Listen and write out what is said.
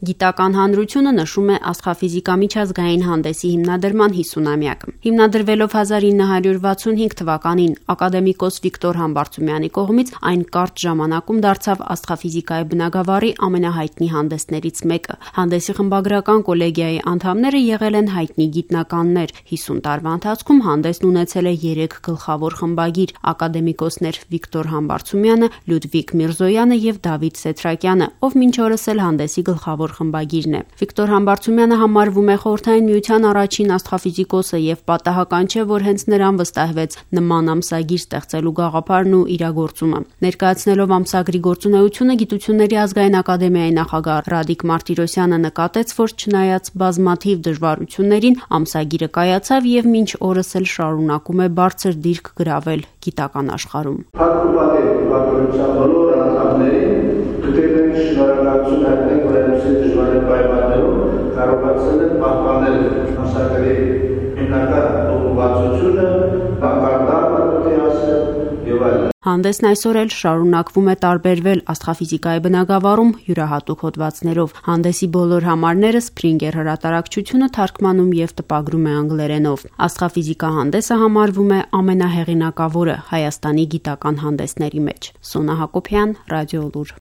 Գիտական հանրությունը նշում է աստղաֆիզիկա միջազգային հանդեսի հիմնադրման 50-ամյակը։ Հիմնադրվելով 1965 թվականին ակադեմիկոս Վիկտոր Համբարձումյանի կողմից այն կարճ ժամանակում դարձավ աստղաֆիզիկայի բնագավառի ամենահայտնի հանդեսներից մեկը։ Հանդեսի խմբագրական կոլեգիայի անդամները եղել են հայտնի գիտնականներ։ 50 տարվա ընթացքում հանդեսն ունեցել է 3 գլխավոր խմբագիր՝ ակադեմիկոսներ Վիկտոր Համբարձումյանը, Լյուդվիգ Միրզոյանը եւ Դավիթ Սեթրակյանը, ով մինչ օրս էլ հանդեսի գլխավոր խմբագիրն է։ Վիկտոր Համբարձումյանը համարվում է Խորհրդային Միության առաջին աստղաֆիզիկոսը եւ պատահական չէ, որ հենց նրան վստահվեց նման ամսագիր ստեղծելու գաղափարն ու իրագործումը։ Ներկայացնելով ամսագրի գործունեությունը, Գիտությունների ազգային ակադեմիայի նախագահ Ռադիկ Մարտիրոսյանը նկատեց, որ չնայած բազմաթիվ դժվարություններին, ամսագիրը կայացավ եւ մինչ օրս էլ շարունակում է բարձր դիրք գրավել գիտական աշխարհում։ Բոլոր անդամներին գտել են շնորհակալություն հայտնել, որ այդպիսի դժվար պայմաններում կարողացել են պահպանել ամսագրի հիմնական ուղղվածությունը, բակարդակը պետք է ասել եւ այլն։ Հանդեսն այսօր էլ շարունակվում է տարբերվել աստղաֆիզիկայի բնագավառում յուրահատուկ հոդվածներով։ Հանդեսի բոլոր համարները Springer հրատարակչությունը թարգմանում եւ տպագրում է անգլերենով։ Աստղաֆիզիկա հանդեսը համարվում է ամենահեղինակավորը Հայաստանի գիտական հանդեսների մեջ։ Սոնա Հակոբյան, Ռադիոլուր։